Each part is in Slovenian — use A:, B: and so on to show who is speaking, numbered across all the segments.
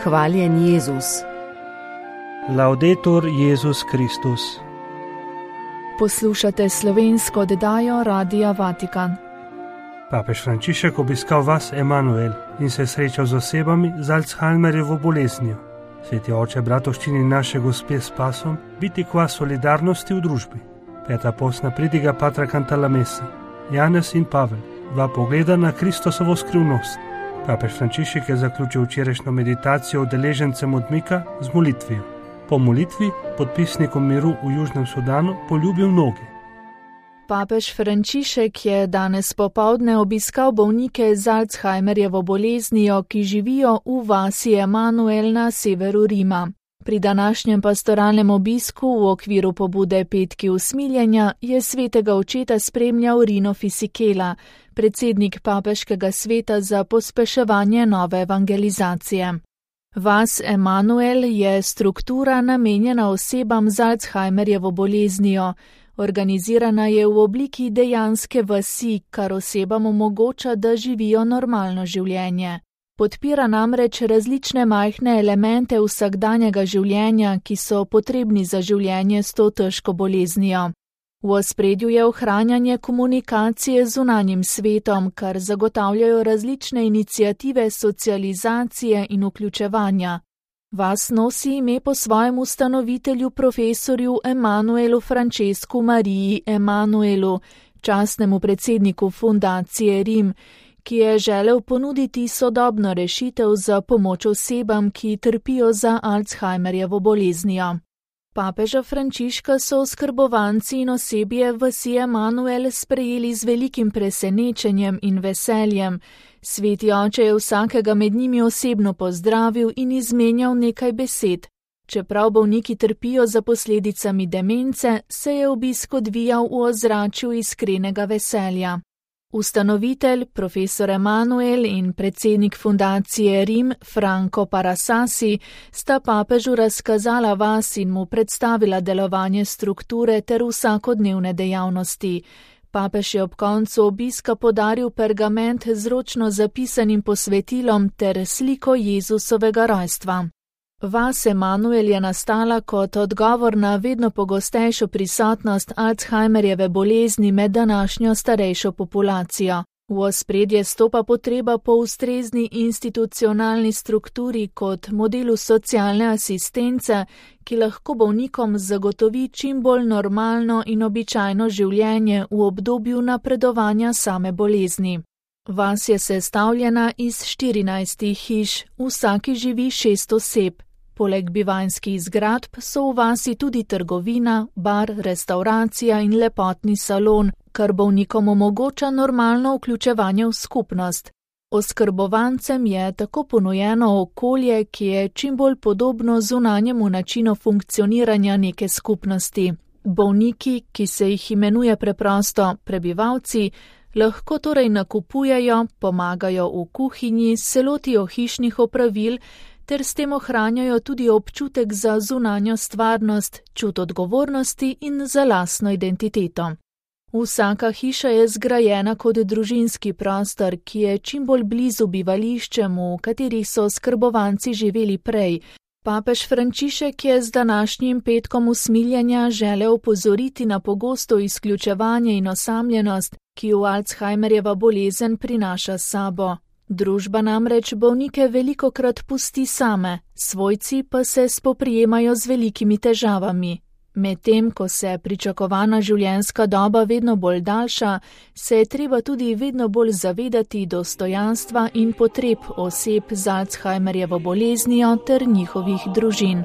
A: Hvaljen Jezus.
B: Laudetur Jezus Kristus.
C: Poslušate slovensko oddajo Radia Vatikan.
B: Papež Frančišek obiskal vas Emanuel in se srečal z osebami z Alzheimerjevo boleznijo. Sveti oče bratovščini naše Gospe s pasom, biti kva solidarnosti v družbi. Peta postna pridiga Patra Cantalamesse. Janez in Pavel, dva pogleda na Kristosovo skrivnost. Papež Frančišek je zaključil včerajšnjo meditacijo udeležencem odmika z molitvijo. Po molitvi podpisnikom miru v Južnem Sudanu poljubil noge.
C: Papež Frančišek je danes popoldne obiskal bolnike z Alzheimerjevo boleznijo, ki živijo v vasi Emanuel na severu Rima. Pri današnjem pastoralnem obisku v okviru pobude Petki usmiljenja je svetega očeta spremljal Rino Fisichella, predsednik papeškega sveta za pospeševanje nove evangelizacije. Vas Emanuel je struktura namenjena osebam z Alzheimerjevo boleznijo. Organizirana je v obliki dejanske vasi, kar osebam omogoča, da živijo normalno življenje. Podpira namreč različne majhne elemente vsakdanjega življenja, ki so potrebni za življenje s to težko boleznijo. V ospredju je ohranjanje komunikacije z zunanjim svetom, kar zagotavljajo različne iniciative socializacije in vključevanja. Vas nosi ime po svojem ustanovitelju profesorju Emanuelu Francescu Mariji Emanuelu, častnemu predsedniku fundacije Rim, ki je želel ponuditi sodobno rešitev za pomoč osebam, ki trpijo za Alzheimerjevo boleznijo. Papeža Frančiška so oskrbovanci in osebje vasi Emanuel sprejeli z velikim presenečenjem in veseljem. Sveti oče je vsakega med njimi osebno pozdravil in izmenjal nekaj besed. Čeprav bolniki trpijo za posledicami demence, se je obisk odvijal v ozračju iskrenega veselja. Ustanovitelj, profesor Emanuel in predsednik fundacije Rim, Franco Parassasi, sta papežu razkazala vas in mu predstavila delovanje strukture ter vsakodnevne dejavnosti. Papež je ob koncu obiska podaril pergament z ročno zapisanim posvetilom ter sliko Jezusovega rojstva. Vas Emanuel je nastala kot odgovor na vedno pogostejšo prisotnost Alzheimerjeve bolezni med današnjo starejšo populacijo. V ospredje stopa potreba po ustrezni institucionalni strukturi kot modelu socialne asistence, ki lahko bolnikom zagotovi čim bolj normalno in običajno življenje v obdobju napredovanja same bolezni. Vas je sestavljena iz 14 hiš, v vsaki živi 6 oseb. Poleg bivanjskih zgradb so v vasi tudi trgovina, bar, restauracija in lepotni salon, kar bolnikom omogoča normalno vključevanje v skupnost. Oskrbovancem je tako ponujeno okolje, ki je čim bolj podobno zunanjemu načinu funkcioniranja neke skupnosti. Bolniki, ki se jih imenuje preprosto prebivalci, lahko torej nakupujejo, pomagajo v kuhinji, se lotijo hišnih opravil, ter s tem ohranjajo tudi občutek za zunanjo stvarnost, čut odgovornosti in za lastno identiteto. Vsaka hiša je zgrajena kot družinski prostor, ki je čim bolj blizu bivališčem, v katerih so oskrbovanci živeli prej. Papež Frančišek je z današnjim petkom usmiljenja želel opozoriti na pogosto izključevanje in osamljenost, ki jo Alzheimerjeva bolezen prinaša s sabo. Družba namreč bolnike velikokrat pusti same, svojci pa se spoprijemajo z velikimi težavami. Medtem, ko se pričakovana življenjska doba vedno bolj daljša, se je treba tudi vedno bolj zavedati dostojanstva in potreb oseb z Alzheimerjevo boleznijo ter njihovih družin.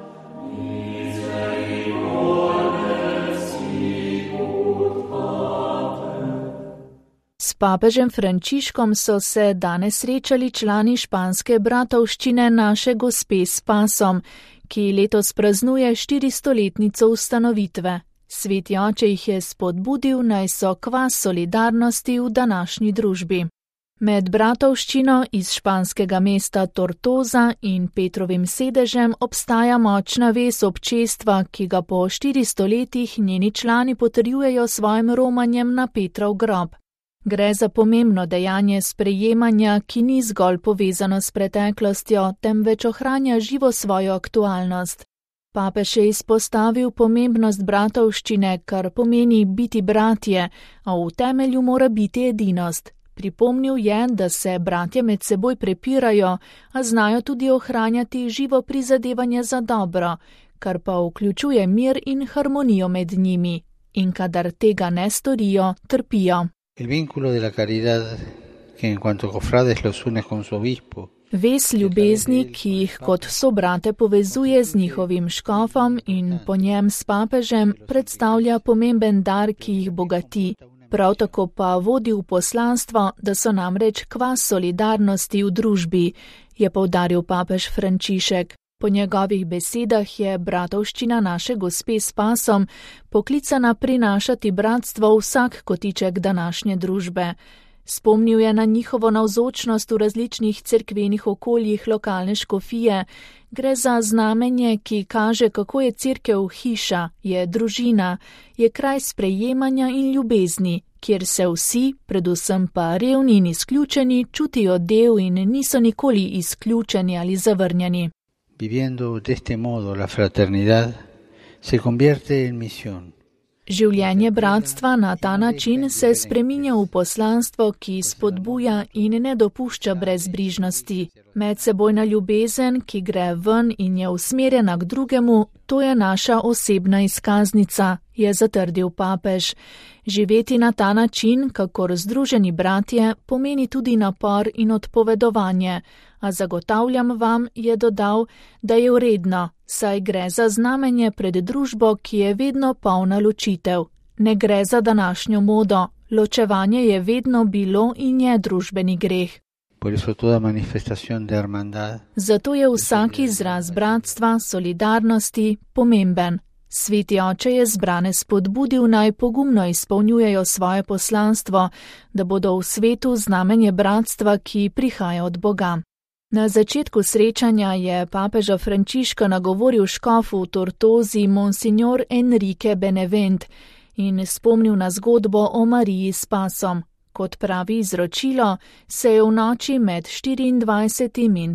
C: S papežem Frančiškom so se danes srečali člani španske bratovščine Naše Gospe s pasom, ki letos praznuje 400-letnico ustanovitve. Sveti oče jih je spodbudil, naj so kvas solidarnosti v današnji družbi. Med bratovščino iz španskega mesta Tortosa in Petrovim sedežem obstaja močna vez občestva, ki ga po 400 letih njeni člani potrjujejo svojim romanjem na Petrov grob. Gre za pomembno dejanje sprejemanja, ki ni zgolj povezano s preteklostjo, temveč ohranja živo svojo aktualnost. Papež je izpostavil pomembnost bratovščine, kar pomeni biti bratje, a v temelju mora biti edinost. Pripomnil je, da se bratje med seboj prepirajo, a znajo tudi ohranjati živo prizadevanje za dobro, kar pa vključuje mir in harmonijo med njimi. In kadar tega ne storijo, trpijo. Vez ljubezni, ki jih kot sobrate povezuje z njihovim škofom in po njem s papežem, predstavlja pomemben dar, ki jih bogati. Prav tako pa vodi v poslanstvo, da so namreč kvas solidarnosti v družbi, je poudaril papež Frančišek. Po njegovih besedah je bratovščina naše Gospe s pasom poklicana prinašati bratstvo v vsak kotiček današnje družbe. Spomnil je na njihovo navzočnost v različnih cerkvenih okoljih lokalne škofije. Gre za znamenje, ki kaže, kako je cerkev hiša, je družina, je kraj sprejemanja in ljubezni, kjer se vsi, predvsem pa revni in izključeni, čutijo del in niso nikoli izključeni ali zavrnjeni.
A: Viviendo de este modo la fraternidad se convierte en misión.
C: Življenje bratstva na ta način se spreminja v poslanstvo, ki spodbuja in ne dopušča brezbrižnosti. Medsebojna ljubezen, ki gre ven in je usmerjena k drugemu, to je naša osebna izkaznica, je zatrdil papež. Živeti na ta način, kakor združeni bratje, pomeni tudi napor in odpovedovanje, a zagotavljam vam, je dodal, da je vredno, saj gre za znamenje pred družbo, ki je vedno polna ločitev. Ne gre za današnjo modo, ločevanje je vedno bilo in je družbeni greh. Zato je vsak izraz bratstva, solidarnosti pomemben. Sveti oče je zbrane spodbudil, naj pogumno izpolnjujejo svoje poslanstvo, da bodo v svetu znamenje bratstva, ki prihaja od Boga. Na začetku srečanja je papeža Frančiška nagovoril škof v Tortozi Monsignor Enrique Benevent in spomnil na zgodbo o Mariji s pasom. Kot pravi izročilo, se je v noči med 24. in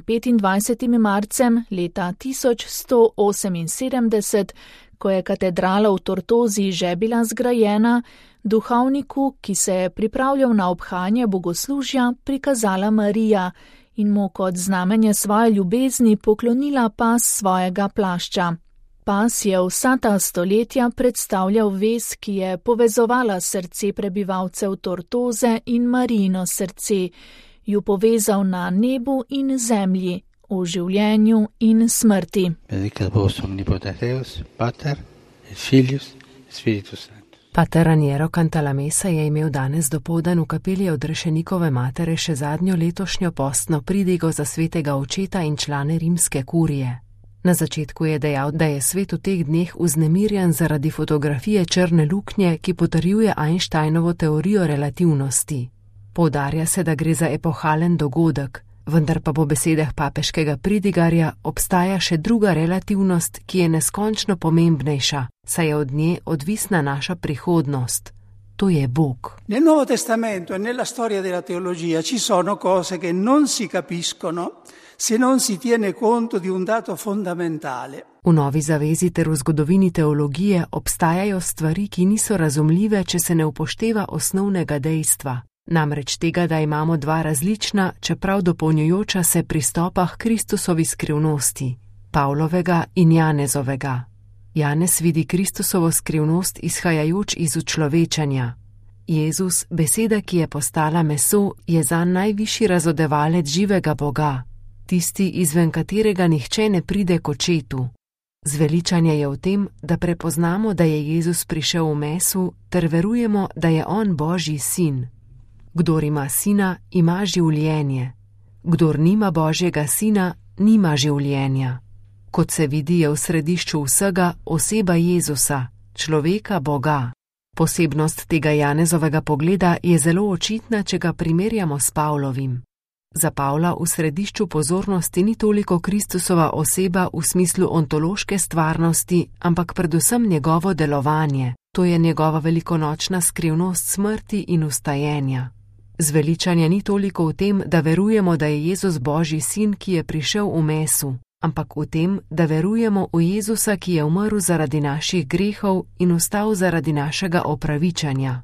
C: 25. marcem leta 1178, ko je katedrala v Tortozi že bila zgrajena, duhovniku, ki se je pripravljal na obhajanje bogoslužja, prikazala Marija in mu kot znamenje svoje ljubezni poklonila pas svojega plašča. Pas je vsa ta stoletja predstavljal vez, ki je povezovala srce prebivalcev Tortoze in Marijino srce, ju povezal na nebu in zemlji, v življenju in smrti.
D: Pater Raniero Cantalamessa je imel danes dopoldan v kapeli Odrešenikove matere še zadnjo letošnjo postno pridigo za svetega očeta in člane rimske kurije. Na začetku je dejal, da je svet v teh dneh vznemirjen zaradi fotografije črne luknje, ki potrjuje Einsteinovo teorijo relativnosti. Poudarja se, da gre za epohalen dogodek, vendar pa po besedah papeškega pridigarja obstaja še druga relativnost, ki je neskončno pomembnejša, saj je od nje odvisna naša prihodnost. To je Bog.
E: Nel Nuovo Testamento e nella storia della teologia ci sono cose che non si capiscono se non si tiene conto di un dato fondamentale.
D: V Novi zavezi ter v zgodovini teologije obstajajo stvari, ki niso razumljive, če se ne upošteva osnovnega dejstva. Namreč tega, da imamo dva različna, čeprav dopolnjujoča se pristopa k Kristusovi skrivnosti, Pavlovega in Janezovega. Janez vidi Kristusovo skrivnost izhajajoč iz učlovečenja. Jezus, beseda, ki je postala meso, je zanj najvišji razodevalec živega Boga, tisti, izven katerega nihče ne pride k očetu. Zveličanje je v tem, da prepoznamo, da je Jezus prišel v mesu, ter verujemo, da je on Božji sin. Kdor ima sina, ima življenje. Kdor nima Božjega sina, nima življenja. Kot se vidi, je v središču vsega oseba Jezusa, človeka Boga. Posebnost tega Janezovega pogleda je zelo očitna, če ga primerjamo s Pavlovim. Za Pavla v središču pozornosti ni toliko Kristusova oseba v smislu ontološke stvarnosti, ampak predvsem njegovo delovanje. To je njegova velikonočna skrivnost smrti in vstajenja. Zveličanje ni toliko v tem, da verujemo, da je Jezus Božji sin, ki je prišel v mesu, ampak v tem, da verujemo v Jezusa, ki je umrl zaradi naših grehov in vstal zaradi našega opravičanja.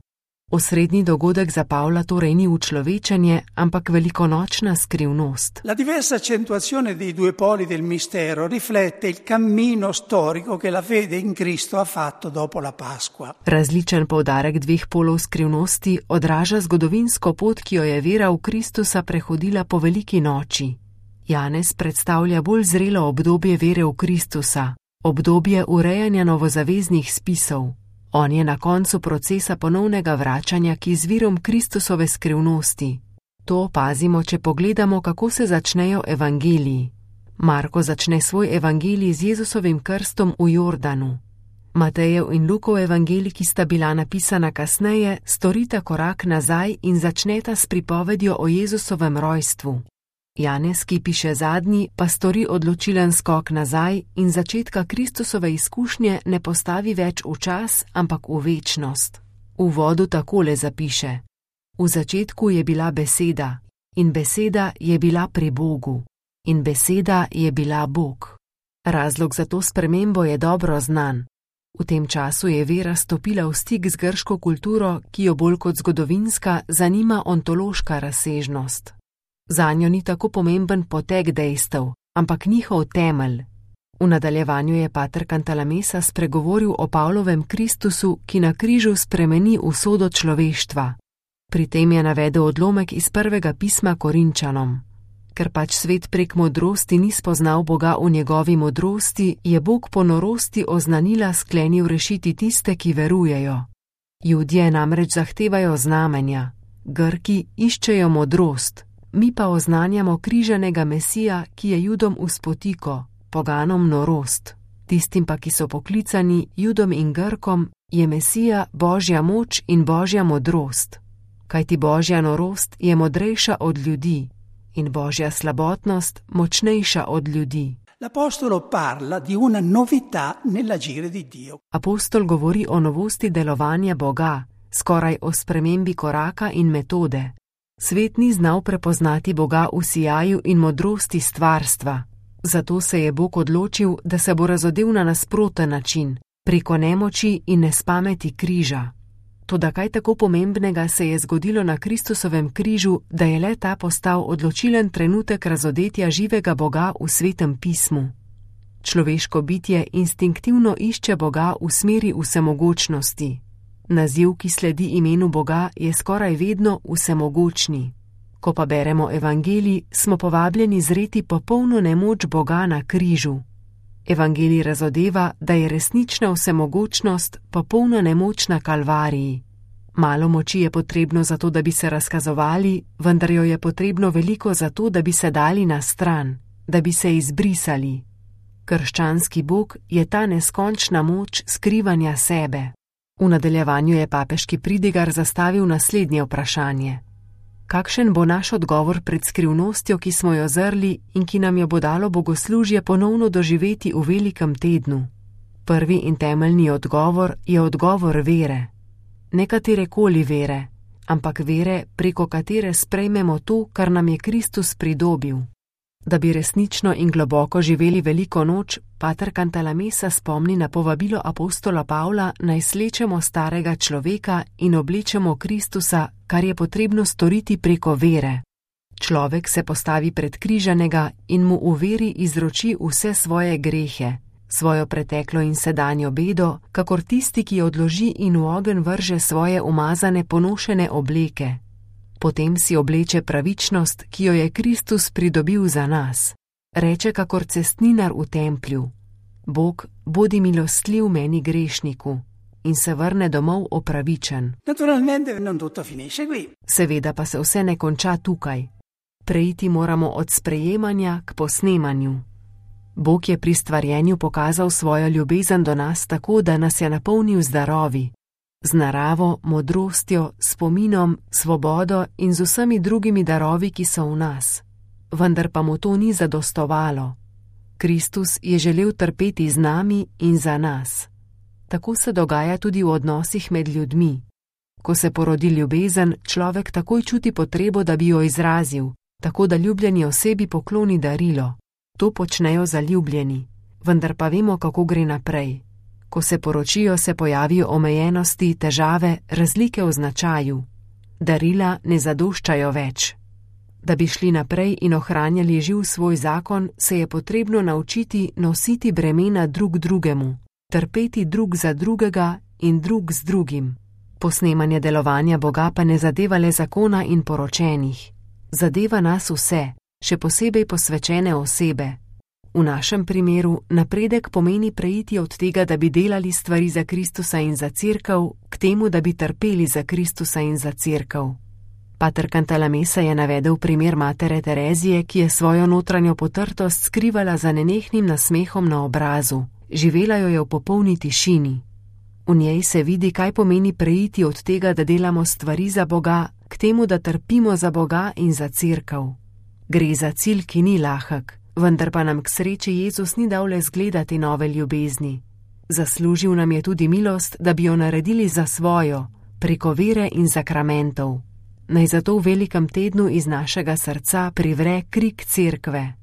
D: Osrednji dogodek za Pavla torej ni učlovečenje, ampak velikonočna skrivnost.
E: La diversa accentuazione dei due poli del mistero riflette il cammino storico che la fede in Cristo ha fatto dopo la Pasqua.
D: Različen poudarek dveh polov skrivnosti odraža zgodovinsko pot, ki jo je vera v Kristusa prehodila po veliki noči. Janez predstavlja bolj zrelo obdobje vere v Kristusa, obdobje urejanja novozaveznih spisov. On je na koncu procesa ponovnega vračanja k izvirom Kristusove skrivnosti. To opazimo, če pogledamo, kako se začnejo evangeliji. Marko začne svoj evangelij z Jezusovim krstom v Jordanu. Matejev in Lukov evangelij, ki sta bila napisana kasneje, storita korak nazaj in začneta s pripovedjo o Jezusovem rojstvu. Janez, ki piše zadnji, pa stori odločilen skok nazaj in začetka Kristusove izkušnje ne postavi več v čas, ampak v večnost. V uvodu takole zapiše: V začetku je bila beseda, in beseda je bila pri Bogu, in beseda je bila Bog. Razlog za to spremembo je dobro znan. V tem času je vera stopila v stik z grško kulturo, ki jo bolj kot zgodovinska zanima ontološka razsežnost. Zanjo ni tako pomemben potek dejstev, ampak njihov temelj. V nadaljevanju je pater Cantalamessa spregovoril o Pavlovem Kristusu, ki na križu spremeni usodo človeštva. Pri tem je navedel odlomek iz prvega pisma Korinčanom. Ker pač svet prek modrosti ni spoznal Boga v njegovi modrosti, je Bog po norosti oznanila sklenil rešiti tiste, ki verujejo. Judje namreč zahtevajo znamenja, Grki iščejo modrost, mi pa oznanjamo križanega Mesija, ki je Judom vzpotiko, poganom norost. Tistim pa, ki so poklicani, Judom in Grkom, je Mesija Božja moč in Božja modrost. Kajti Božja norost je modrejša od ljudi in Božja slabotnost močnejša od ljudi.
E: L'Apostolo parla di una novità nell'agire di Dio.
D: Apostol govori o novosti delovanja Boga, skoraj o spremembi koraka in metode. Svet ni znal prepoznati Boga v sijaju in modrosti stvarstva. Zato se je Bog odločil, da se bo razodel na nasproten način, preko nemoči in nespameti križa. Toda kaj tako pomembnega se je zgodilo na Kristusovem križu, da je le ta postal odločilen trenutek razodetja živega Boga v Svetem pismu. Človeško bitje instinktivno išče Boga v smeri vsemogočnosti. Naziv, ki sledi imenu Boga, je skoraj vedno vsemogočni. Ko pa beremo evangelij, smo povabljeni zreti popolno nemoč Boga na križu. Evangelij razodeva, da je resnična vsemogočnost popolna nemoč na Kalvariji. Malo moči je potrebno za to, da bi se razkazovali, vendar jo je potrebno veliko za to, da bi se dali na stran, da bi se izbrisali. Krščanski Bog je ta neskončna moč skrivanja sebe. V nadaljevanju je papeški pridigar zastavil naslednje vprašanje. Kakšen bo naš odgovor pred skrivnostjo, ki smo jo zrli in ki nam jo bo dalo bogoslužje ponovno doživeti v velikem tednu? Prvi in temeljni odgovor je odgovor vere. Ne katerekoli vere, ampak vere, preko katere sprejmemo to, kar nam je Kristus pridobil. Da bi resnično in globoko živeli veliko noč, pater Cantalamessa spomni na povabilo apostola Pavla, naj slečemo starega človeka in oblečemo Kristusa, kar je potrebno storiti preko vere. Človek se postavi pred križanega in mu v veri izroči vse svoje grehe, svojo preteklo in sedanjo bedo, kakor tisti, ki odloži in v ogenj vrže svoje umazane ponošene obleke. Potem si obleče pravičnost, ki jo je Kristus pridobil za nas. Reče kakor cestninar v templju: Bog, bodi milostljiv meni grešniku, in se vrne domov opravičen. Seveda pa se vse ne konča tukaj. Preiti moramo od sprejemanja k posnemanju. Bog je pri stvarjenju pokazal svojo ljubezen do nas tako, da nas je napolnil z darovi. Z naravo, modrostjo, spominom, svobodo in z vsemi drugimi darovi, ki so v nas. Vendar pa mu to ni zadostovalo. Kristus je želel trpeti z nami in za nas. Tako se dogaja tudi v odnosih med ljudmi. Ko se porodi ljubezen, človek takoj čuti potrebo, da bi jo izrazil, tako da ljubljeni osebi pokloni darilo. To počnejo zaljubljeni, vendar pa vemo, kako gre naprej. Ko se poročijo, se pojavijo omejenosti, težave, razlike v značaju. Darila ne zadoščajo več. Da bi šli naprej in ohranjali živ svoj zakon, se je potrebno naučiti nositi bremena drug drugemu, trpeti drug za drugega in drug z drugim. Posnemanje delovanja Boga pa ne zadeva le zakona in poročenih. Zadeva nas vse, še posebej posvečene osebe. V našem primeru napredek pomeni preiti od tega, da bi delali stvari za Kristusa in za cerkev, k temu, da bi trpeli za Kristusa in za cerkev. Pater Cantalamessa je navedel primer matere Terezije, ki je svojo notranjo potrtost skrivala za nenehnim nasmehom na obrazu. Živela jo je v popolni tišini. V njej se vidi, kaj pomeni preiti od tega, da delamo stvari za Boga, k temu, da trpimo za Boga in za cerkev. Gre za cilj, ki ni lahek, vendar pa nam k sreči Jezus ni dal le zgledati nove ljubezni. Zaslužil nam je tudi milost, da bi jo naredili za svojo, preko vere in sakramentov. Naj zato v velikem tednu iz našega srca privre krik cerkve.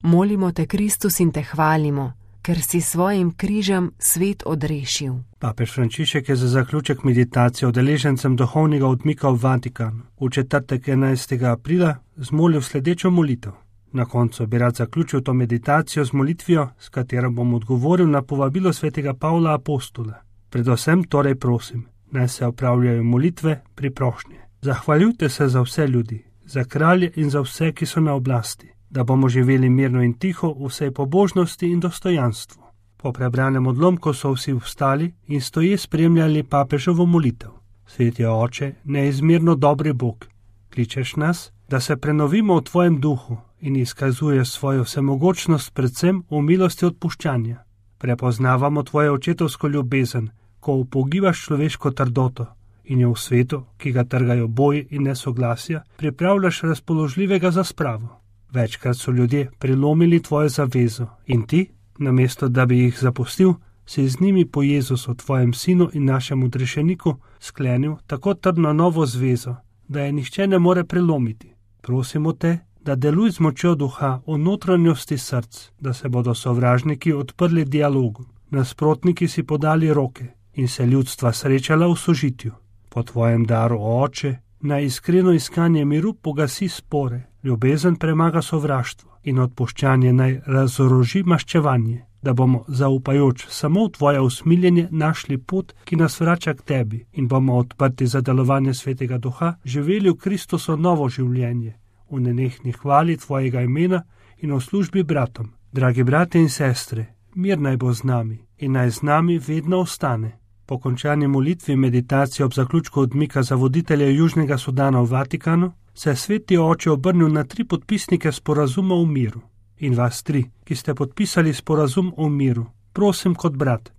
D: Molimo te, Kristus, in te hvalimo, ker si svojim križem svet odrešil.
B: Papež Frančišek je za zaključek meditacije udeležencem duhovnega odmika v Vatikanu v četrtek 11. aprila zmolil sledečo molitev. Na koncu bi rad zaključil to meditacijo z molitvijo, s katero bom odgovoril na povabilo svetega Pavla Apostola. Predvsem torej prosim, naj se opravljajo molitve pri prošnji. Zahvaljujte se za vse ljudi, za kralje in za vse, ki so na oblasti, da bomo živeli mirno in tiho v vsej pobožnosti in dostojanstvu. Po prebranem odlomku so vsi vstali in stoje spremljali papežovo molitev. Sveti Oče, neizmerno dobri Bog, kličeš nas, da se prenovimo v tvojem duhu in izkazuješ svojo vsemogočnost predvsem v milosti odpuščanja. Prepoznavamo tvoje očetovsko ljubezen, ko upogibaš človeško trdoto in jo v svetu, ki ga trgajo boji in nesoglasja, pripravljaš razpoložljivega za spravo. Večkrat so ljudje prelomili tvojo zavezo in ti, namesto da bi jih zapustil, si z njimi po Jezusu, tvojem sinu in našemu odrešeniku, sklenil tako trdno novo zvezo, da je nihče ne more prelomiti. Prosimo te, da deluj z močjo duha v notranjosti src, da se bodo sovražniki odprli dialogu, nasprotniki si podali roke in se ljudstva srečala v sožitju. Po tvojem daru, Oče, naj iskreno iskanje miru pogasi spore, ljubezen premaga sovraštvo in odpuščanje naj razoroži maščevanje, da bomo, zaupajoč samo v tvoje usmiljenje, našli pot, ki nas vrača k tebi in bomo odprti za delovanje svetega duha, živeli v Kristusu novo življenje, v nenehni hvali tvojega imena in v službi bratom. Dragi brate in sestre, mir naj bo z nami in naj z nami vedno ostane. Po končani molitvi meditacije ob zaključku odmika za voditelje Južnega Sudana v Vatikanu se je sveti Oče obrnil na 3 podpisnike sporazuma o miru. In vas 3, ki ste podpisali sporazum o miru, prosim kot brat,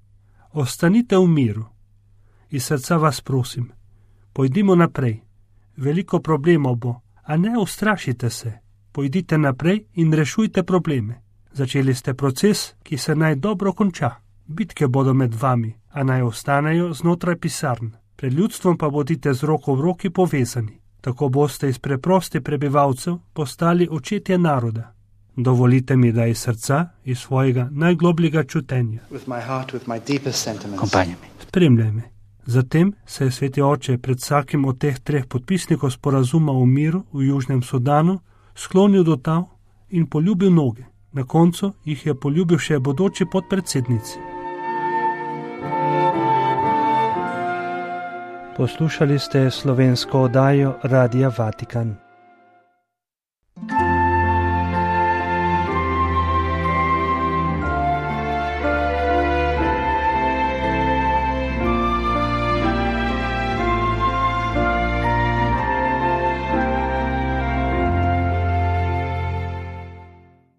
B: ostanite v miru. Iz srca vas prosim, pojdimo naprej. Veliko problemov bo, a ne ustrašite se. Pojdite naprej in rešujte probleme. Začeli ste proces, ki se naj dobro konča. Bitke bodo med vami, a naj ostanejo znotraj pisarn. Pred ljudstvom pa bodite z roko v roki povezani. Tako boste iz preprostih prebivalcev postali očetje naroda. Dovolite mi, da iz srca, iz svojega najglobljega čutenja. Spremljaj me. Zatem se je sveti Oče pred vsakim od teh 3 podpisnikov sporazuma o miru v Južnem Sudanu sklonil do tal in poljubil noge. Na koncu jih je poljubil še bodoči podpredsednici. Poslušali ste slovensko oddajo Radia Vatikan.